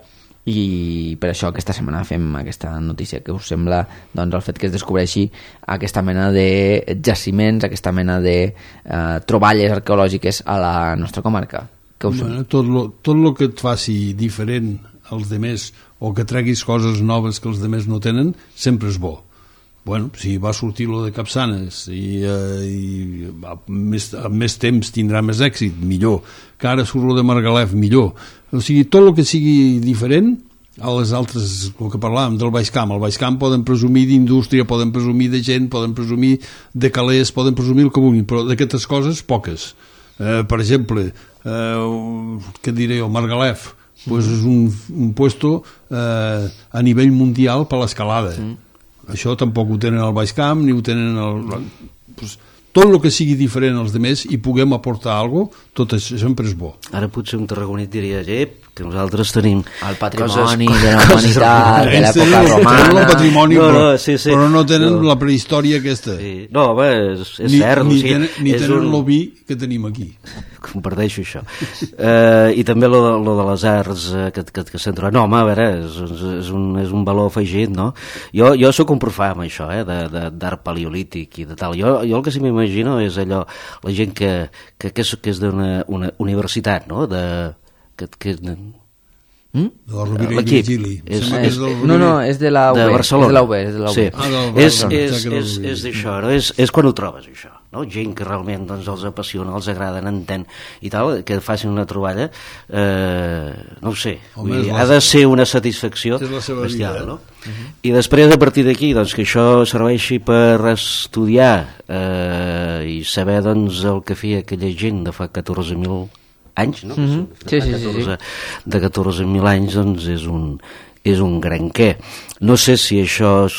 i per això aquesta setmana fem aquesta notícia. Que us sembla doncs, el fet que es descobreixi aquesta mena de jaciments, aquesta mena de uh, troballes arqueològiques a la nostra comarca? Que us bueno, tot lo, tot lo que et faci diferent als demés o que treguis coses noves que els demés no tenen, sempre és bo. Bueno, si va sortir lo de Capçanes i, eh, i amb més, amb més temps tindrà més èxit, millor. Que ara surt lo de Margalef, millor. O sigui, tot el que sigui diferent a les altres, el que parlàvem del Baix Camp. Al Baix Camp poden presumir d'indústria, poden presumir de gent, poden presumir de calés, poden presumir el que vulguin, però d'aquestes coses, poques. Eh, per exemple, eh, què diré jo, Margalef, pues és un, un puesto eh, a nivell mundial per l'escalada. Mm. Això tampoc ho tenen al Baix Camp, ni ho tenen al... Pues, tot el que sigui diferent als demés i puguem aportar alguna cosa, tot això sempre és bo. Ara potser un tarragonit diria, ep, que nosaltres tenim el patrimoni coses, de la humanitat, de l'època romana... Tenen el patrimoni, no, no, però, sí, sí. però no tenen no. la prehistòria aquesta. Sí. No, home, és, és ni, cert. Ni, o sigui, tenen, ni és tenen un... l'oví que tenim aquí. Comparteixo això. eh, I també lo de, lo de les arts eh, que, que, que s'han trobat. No, home, a veure, és, és, un, és un valor afegit, no? Jo, jo sóc un profà amb això, eh, d'art paleolític i de tal. Jo, jo el que sí m'imagino és allò, la gent que, que, que és, que és d'una una universitat, no? De, que, que, Mm? De la Rovira i Virgili. És, és, és no, no, és de la U B. De Barcelona. És de la U B, és de la U B. Sí. Ah, no, és, no, és, és, és d'això, no? És, és quan ho trobes, això. No? Gent que realment doncs, els apassiona, els agrada, n'entén i tal, que facin una troballa, eh, no ho sé, Home, vull dir, la... ha de ser una satisfacció bestial, vida, no? Uh-huh. I després, a partir d'aquí, doncs, que això serveixi per estudiar eh, i saber doncs, el que feia aquella gent de fa catorze mil anys, no? Mm-hmm. Sí, sí, sí, sí. De catorze mil anys, doncs, és un, és un gran què. No sé si això es,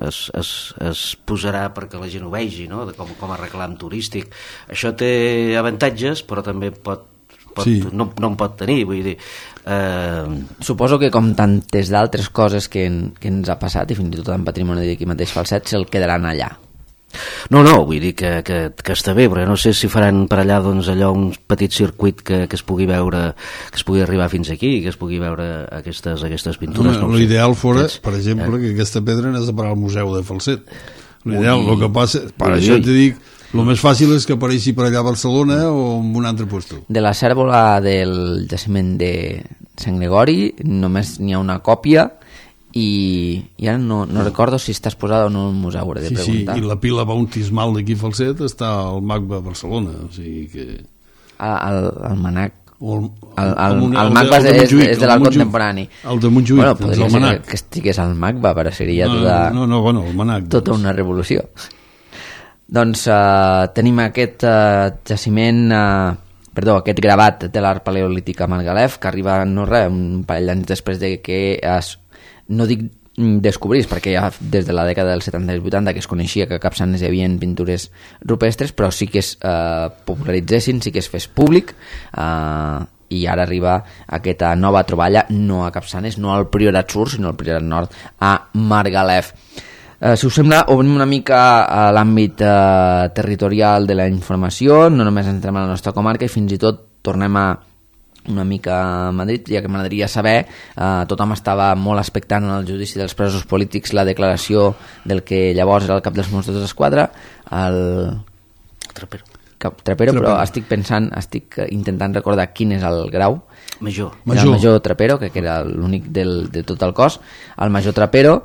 es, es, es posarà perquè la gent ho vegi, no? De com, com a reclam turístic. Això té avantatges, però també pot pot, sí. no, no en pot tenir, vull dir... Eh... Suposo que com tantes d'altres coses que, en, que ens ha passat, i fins i tot en patrimoni d'aquí mateix Falset, se'l quedaran allà. No, no, vull dir que, que, que està bé, però no sé si faran per allà doncs, allò un petit circuit que, que es pugui veure, que es pugui arribar fins aquí, que es pugui veure aquestes, aquestes pintures. No, no l'ideal fora, Tens, per exemple, eh? que aquesta pedra anés a parar al Museu de Falset. L'ideal, Ui, el que passa... Per ui, això ui. t'he dit, el més fàcil és que apareixi per allà a Barcelona o en un altre lloc. De la cèrvola del jaciment de Sant Gregori només n'hi ha una còpia i, i ara no, no recordo si està exposada o no al museu, hauré de Sí, sí, preguntar. i la pila bautismal d'aquí Falset està al M A C B a Barcelona, o sigui que... El, el Manac. O el, El, el, el, el MACBA és, és, és de l'art contemporani. El de Montjuïc, bueno, doncs podria el ser Manac. que, que estigués al MACBA, però seria No, tota, no, no, bueno, el Manac. tota una revolució. Doncs uh, tenim aquest uh, jaciment, uh, perdó, aquest gravat de l'art paleolític a Margalef, que arriba, no res, un parell d'anys després de que es, no dic descobrís, perquè ja des de la dècada dels setanta i vuitanta que es coneixia que a Capçanes hi havia pintures rupestres, però sí que es eh, popularitzessin, sí que es fes públic, eh, i ara arriba aquesta nova troballa, no a Capçanes, no al Priorat Sur, sinó al Priorat Nord, a Margalef. Eh, si us sembla, obrim una mica a l'àmbit eh, territorial de la informació, no només entrem a la nostra comarca i fins i tot tornem a una mica a Madrid, ja que m'agradaria saber, eh, tothom estava molt expectant en el judici dels presos polítics la declaració del que llavors era el cap dels Mossos d'Esquadra, el Trapero. Cap Trapero, però estic pensant, estic intentant recordar quin és el grau. Major. Era el major Trapero, que era l'únic del, de tot el cos. El major Trapero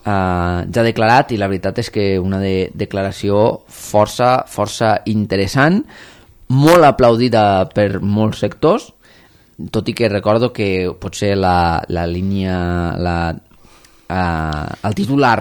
eh, ja ha declarat, i la veritat és que una de, declaració força, força interessant, molt aplaudida per molts sectors, tot i que recordo que potser la, la línia, la, uh, el titular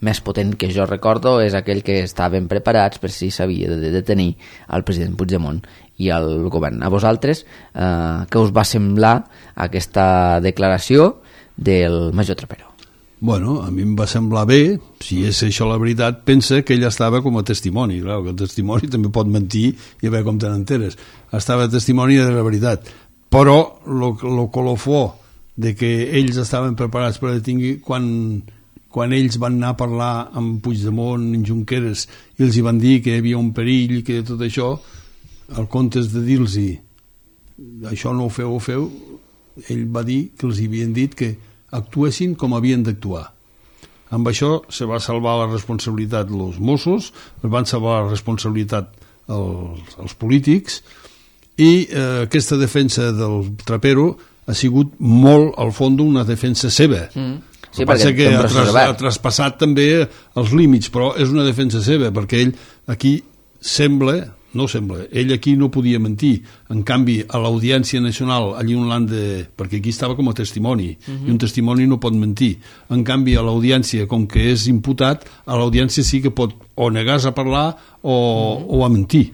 més potent que jo recordo és aquell que estaven preparats per si s'havia de detenir el president Puigdemont i el govern. A vosaltres, uh, què us va semblar aquesta declaració del major Trapero? Bueno, a mi em va semblar bé, si és això la veritat, pensa que ell estava com a testimoni, clar, que el testimoni també pot mentir i a veure com te n'enteres. Estava testimoni de la veritat. Però el colofó de que ells estaven preparats per detingui quan, quan ells van anar a parlar amb Puigdemont, amb Junqueras, i els hi van dir que hi havia un perill, que tot això, al comptes de dir-los això no ho feu, ho feu, ell va dir que els havien dit que actuessin com havien d'actuar. Amb això se va salvar la responsabilitat els Mossos, es van salvar la responsabilitat els, els polítics, i eh, aquesta defensa del Trapero ha sigut molt, al fons, una defensa seva. Mm. Sí, el passa que ha, tras, ha traspassat també els límits, però és una defensa seva, perquè ell aquí sembla, no sembla, ell aquí no podia mentir. En canvi, a l'Audiència Nacional, allí on l'han de... perquè aquí estava com a testimoni, mm-hmm. i un testimoni no pot mentir. En canvi, a l'Audiència, com que és imputat, a l'Audiència sí que pot o negar a parlar o, mm-hmm. o a mentir.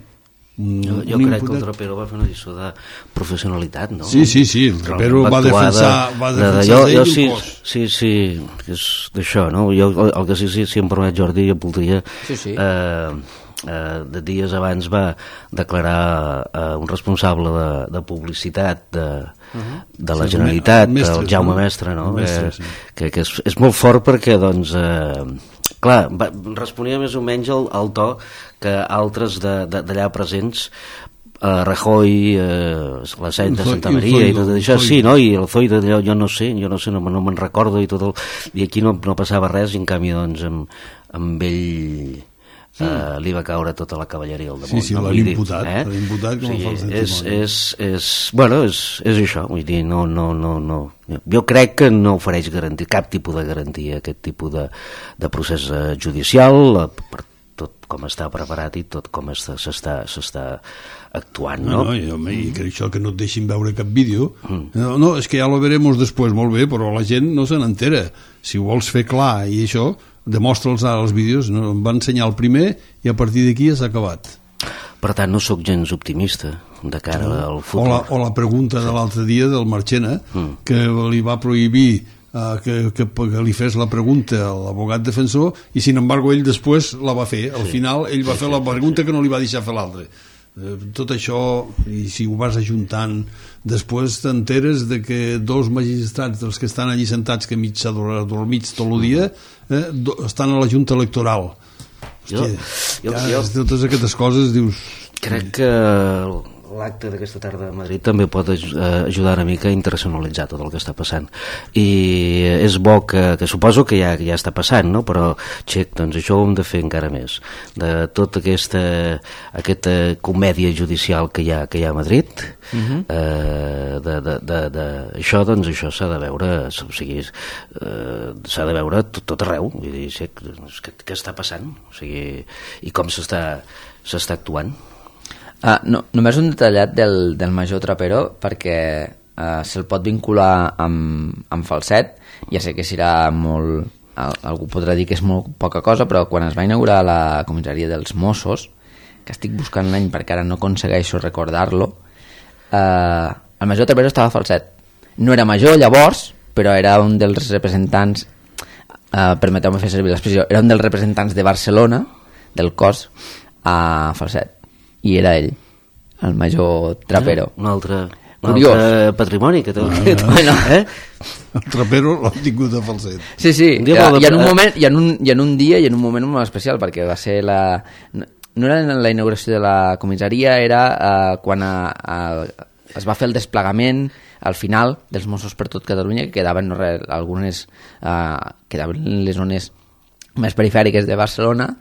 Jo, jo crec que el Trapero va fer una lliçó de professionalitat, no? Sí, sí, sí, el Trapero va, va defensar, de, va defensar de, de, jo, jo ell sí, un cos. Sí, sí, és d'això, no? Jo, el que sí, sí, si em permet, Jordi, jo voldria... Sí, sí. Eh, eh, de dies abans va declarar eh, un responsable de, de publicitat de, uh-huh. de la sí, Generalitat, el, mestres, el Jaume no? Mestre, no? Mestre, que, sí. que, que és, és molt fort perquè, doncs... Eh, clar, va, responia més o menys al, al to que altres d'allà presents, uh, Rajoy, uh, la Saint de Santa Maria i tot això, sí, no? I el Zoido, jo no sé, jo no sé, no, no me'n recordo i tot el... I aquí no, no passava res, i en canvi, doncs, amb, amb ell... Uh, li va caure tota la cavalleria al damunt. Sí, sí, no? l'han imputat, eh? l'han imputat com sí, a fals és, testimoni. és, és, bueno, és, és això, vull dir, no, no, no, no. Jo crec que no ofereix garantia, cap tipus de garantia, aquest tipus de, de procés judicial, per tot com està preparat i tot com s'està actuant, no? No, no, i, home, i que això que no et deixin veure cap vídeo, mm. no, no, és que ja lo veremos després, molt bé, però la gent no se n'entera. Si ho vols fer clar i això, demostra'ls ara els vídeos, no? Em va ensenyar el primer i a partir d'aquí s'ha acabat. Per tant, no sóc gens optimista de cara no. al futur. O la, o la pregunta de l'altre dia del Marchena, mm. que li va prohibir uh, que, que, que li fes la pregunta a l'abogat defensor i, sin embargo, ell després la va fer. Al sí. final, ell va sí, fer la pregunta que no li va deixar fer l'altre. Eh, tot això, i si ho vas ajuntant, després t'enteres de que dos magistrats dels que estan allí sentats que mig adormits tot el dia eh, do, estan a la Junta Electoral. Hòstia, jo, ja, jo, totes aquestes coses dius... Crec que l'acte d'aquesta tarda a Madrid també pot ajudar una mica a internacionalitzar tot el que està passant, i és bo que, que suposo que ja, ja està passant, no? Però xec, doncs això ho hem de fer encara més, de tota aquesta, aquesta comèdia judicial que hi ha, que hi ha a Madrid. Uh-huh. eh, de, de, de, de, això doncs això s'ha de veure, o sigui, eh, s'ha de veure tot, tot arreu, vull dir, xec, què, què està passant, o sigui, i com s'està s'està actuant. Uh, no, només un detallat del, del major Trapero, perquè uh, se'l pot vincular amb, amb Falset. Ja sé que serà molt... Algú podrà dir que és molt poca cosa, però quan es va inaugurar la comissaria dels Mossos, que estic buscant l'any perquè ara no aconsegueixo recordar-lo, uh, el major Trapero estava a Falset. No era major llavors, però era un dels representants, uh, permeteu-me fer servir l'expressió, era un dels representants de Barcelona, del cos, a Falset. I era ell, el major Trapero. Ah, un altre, un altre patrimoni que té. Ah, bueno, eh? El Trapero l'ha tingut a Falset. Sí, sí, i, i, en un moment, i, en un, i en un dia i en un moment molt especial, perquè va ser la... No era la inauguració de la comissaria, era uh, quan a, a, es va fer el desplegament al final dels Mossos per tot Catalunya, que quedaven no res, algunes... Uh, quedaven les zones més perifèriques de Barcelona.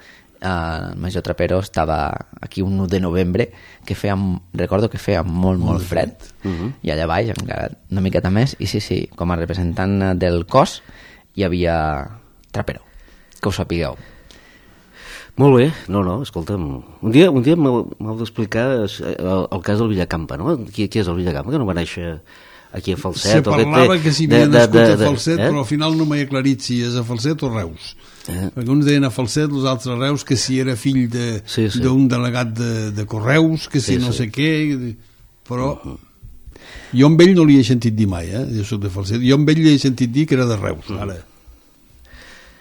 Uh, el major Trapero estava aquí un u de novembre que feia, recordo que feia molt, molt, molt fred, fred. Uh-huh. I allà baix encara una miqueta més, i sí, sí, com a representant del cos hi havia Trapero, que ho sapigueu. Molt bé, no, no, escolta'm, un dia, un dia m'heu d'explicar el, el cas del Villacampa, no? Qui, qui és el Villacampa, que no va néixer aquí a Falset? Se parlava que s'hi havia nascut de, de, a Falset, eh? però al final no m'he aclarit si és a Falset o Reus. Eh? Perquè uns deien a Falset, els altres a Reus, que si era fill d'un de, sí, sí. delegat de, de Correus, que si sí, no sí. sé què, però uh-huh. jo amb ell no li he sentit dir mai, eh? Jo soc de Falset, jo amb ell li he sentit dir que era de Reus, uh-huh. ara.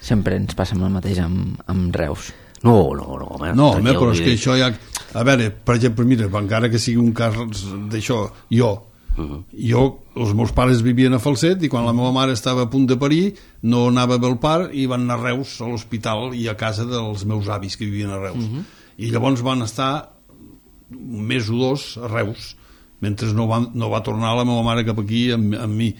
Sempre ens passa el mateix amb, amb Reus. No, no, no, home. No, home, però és que això ja... A veure, per exemple, mira, encara que sigui un cas d'això, jo, Uh-huh. jo, els meus pares vivien a Falset i quan la meva mare estava a punt de parir no anava a Belpar i van anar a Reus a l'hospital i a casa dels meus avis que vivien a Reus. Uh-huh. I llavors van estar un mes o dos a Reus mentre no va, no va tornar la meva mare cap aquí amb, amb mi,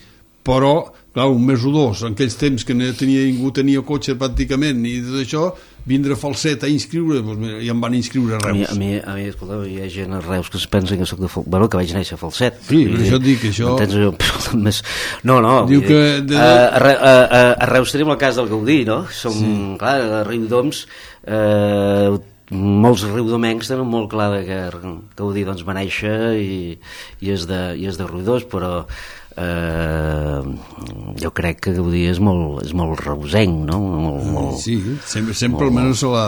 però clar, un mes o dos, en aquells temps que no tenia, ningú tenia cotxe pràcticament i tot això, vindre a Falset a inscriure, doncs, i em van inscriure a Reus. A mi, a mi, a mi escolta, hi ha gent a Reus que es pensa que soc de Falset, bueno, que vaig néixer a Falset. Sí, per això et dic que això... Més... No, no, diu que de... a, a, a, a Reus tenim el cas del Gaudí, no? Som, sí. clar, a Riudoms, eh, molts riudomencs tenen molt clar que Gaudí doncs, va néixer i, i, és de, i és de Riudoms, però Uh, jo crec que Gaudí és molt, és molt reusenc, no? Molt, molt, sí, sempre, sempre molt, almenys la...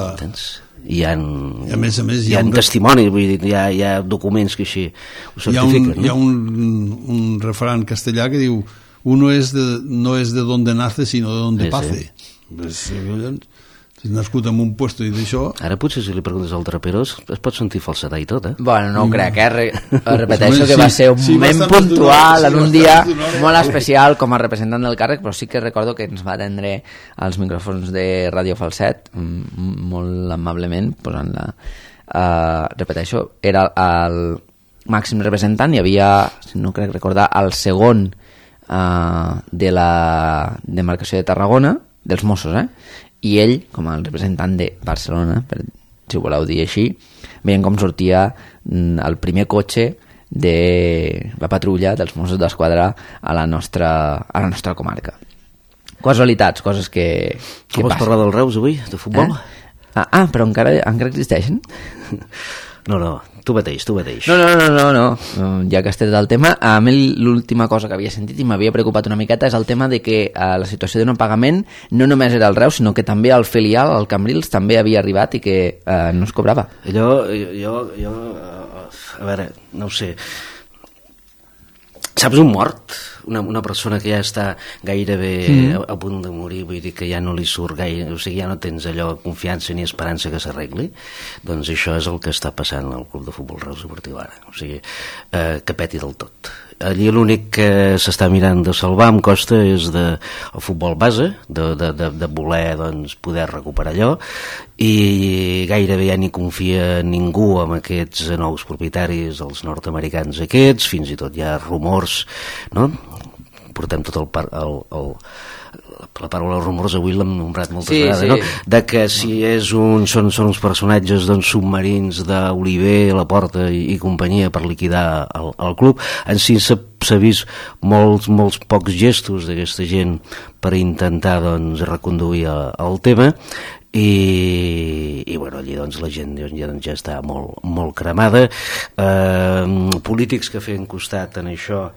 Hi ha, I a més a més hi ha, hi ha un testimonis, vull dir, hi ha, hi ha documents que així ho certifiquen. Hi ha un, no? hi ha un, un refrán castellà que diu uno es de, no es de donde nace sino de donde sí, pace. Sí. Pues, si nascut en un puesto i d'això... Ara potser si li preguntes al Trapero es pot sentir falsetar i tot, eh? Bueno, no ho crec, eh? Re repeteixo que va ser un sí, moment puntual en un dia molt especial com a representant del càrrec, però sí que recordo que ens va atendre als micròfons de Ràdio Falset molt amablement, posant-la... Uh, repeteixo, era el màxim representant, hi havia, no crec recordar, el segon uh, de la demarcació de Tarragona, dels Mossos, eh? I ell, com a representant de Barcelona, per, si ho voleu dir així, veient com sortia el primer cotxe de la patrulla dels Mossos d'Esquadra a la nostra, a la nostra comarca. Casualitats, coses que, que com passen. Vols parlar del Reus avui, de futbol? Eh? Ah, ah, però encara, encara existeixen? No, no, tu mateix, tu mateix. No, no, no, no, no. Ja que has tret el tema, a mi l'última cosa que havia sentit i m'havia preocupat una miqueta és el tema de que eh, la situació de no pagament no només era el Reus, sinó que també el filial, el Cambrils, també havia arribat i que eh, no es cobrava. Allò, jo, jo, a veure, no ho sé. Saps un mort? una, una persona que ja està gairebé mm. a, a punt de morir, vull dir que ja no li surt gaire, o sigui, ja no tens allò confiança ni esperança que s'arregli, doncs això és el que està passant al Club de Futbol Reus Deportiu ara, o sigui, eh, que peti del tot. Allí l'únic que s'està mirant de salvar em costa és de, el futbol base, de, de, de, de voler doncs, poder recuperar allò, i gairebé ja ni confia ningú amb aquests nous propietaris, els nord-americans aquests, fins i tot hi ha rumors, no? Portem tot el, par, el, el la paraula rumors avui l'hem nombrat moltes sí, vegades, sí. No? De que si és un, són, són uns personatges doncs, submarins d'Oliver, Laporta i, i companyia per liquidar el, el club. En si s'ha vist molts, molts pocs gestos d'aquesta gent per intentar doncs, reconduir el, el tema, i, i bueno, allí doncs, la gent ja, ja està molt, molt cremada. Eh, polítics que feien costat en això,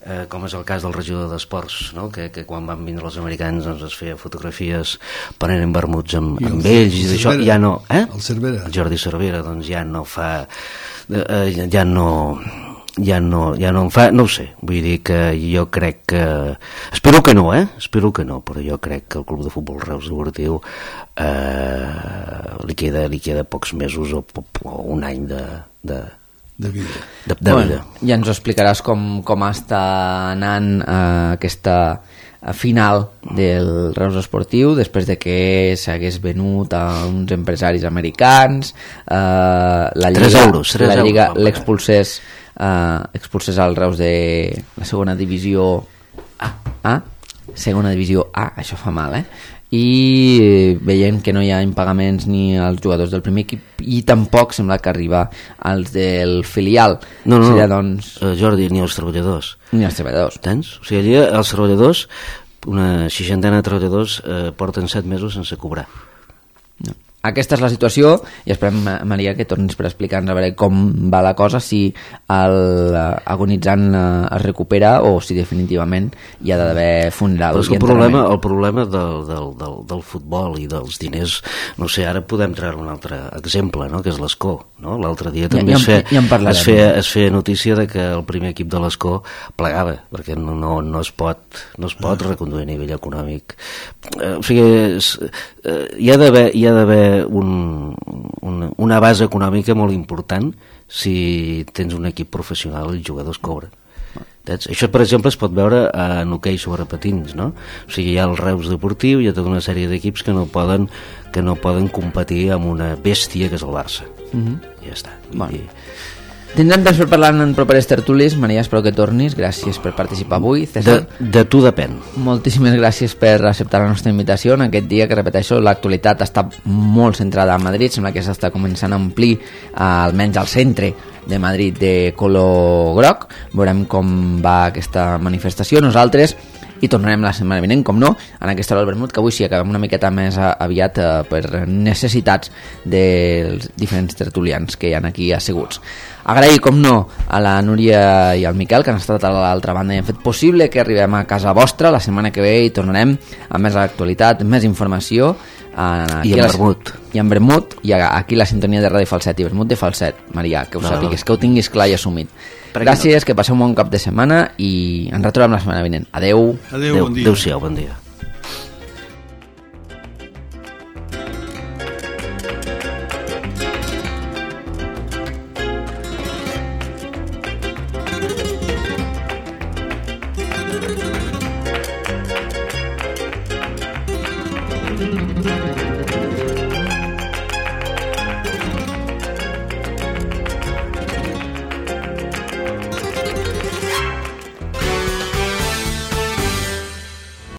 Eh, com és el cas del regidor d'Esports, no? que, que quan van vindre els americans doncs, es feia fotografies prenent vermuts amb, amb ells i d'això ja no, eh? El Cervera. El Jordi Cervera doncs ja no fa eh, ja no ja no, ja no en fa, no ho sé, vull dir que jo crec que, espero que no eh? espero que no, però jo crec que el Club de Futbol Reus Deportiu eh, li, queda, li queda pocs mesos o, o un any de, de de vida. De, de bueno, vida. Ja ens ho explicaràs com, com està anant eh, aquesta final del Reus Esportiu després de que s'hagués venut a uns empresaris americans, eh, la Lliga, euros, la Lliga l'expulsés eh, expulsés al Reus de la segona divisió A, A segona divisió A, això fa mal, eh? I veient que no hi ha impagaments ni als jugadors del primer equip i tampoc sembla que arriba als del filial. No, no, Seria, doncs... uh, Jordi, ni als treballadors. Ni als treballadors. Tens? O sigui, allà els treballadors, una seixantena de treballadors eh, porten set mesos sense cobrar. No. Aquesta és la situació i esperem, Maria, que tornis per explicar-nos a veure com va la cosa, si el agonitzant es recupera o si definitivament hi ha d'haver funeral. Però és que el problema, el problema del, del, del, del futbol i dels diners, no sé, ara podem treure un altre exemple, no? Que és l'Escó. No? L'altre dia també ja, ja, es, feia, ja es, feia, es feia notícia de que el primer equip de l'Escó plegava, perquè no, no, no, es pot, no es pot reconduir a nivell econòmic. Eh, o sigui, és, eh, hi ha d'haver hi ha d'haver Un, una, una base econòmica molt important si tens un equip professional i els jugadors cobren. Saps? Això, per exemple, es pot veure en hoquei sobre patins, no? O sigui, hi ha el Reus Deportiu, hi ha tota una sèrie d'equips que no poden que no poden competir amb una bèstia que és el Barça. Mm-hmm. I ja està. Bueno. I, Tindrem temps per parlar en properes tertúlies. Maria, espero que tornis. Gràcies per participar avui. César, de, de tu depèn. Moltíssimes gràcies per acceptar la nostra invitació en aquest dia que, repeteixo, l'actualitat està molt centrada a Madrid. Sembla que s'està començant a omplir, eh, almenys al centre de Madrid, de color groc. Veurem com va aquesta manifestació. Nosaltres i tornarem la setmana vinent, com no, en aquesta hora del vermut, que avui sí acabem una miqueta més aviat eh, per necessitats dels diferents tertulians que hi ha aquí asseguts. Agrair, com no, a la Núria i al Miquel, que han estat a l'altra banda i han fet possible que arribem a casa vostra la setmana que ve i tornarem amb més actualitat, més informació. I en vermut. I en vermut, i aquí la sintonia de Ràdio Falset i vermut de Falset. Maria, que ho no, sàpigues, que ho tinguis clar i assumit. Gràcies, que passeu un bon cap de setmana i ens retrobem la setmana vinent. Adeu. Adeu, bon dia. Adéu-siau, bon dia.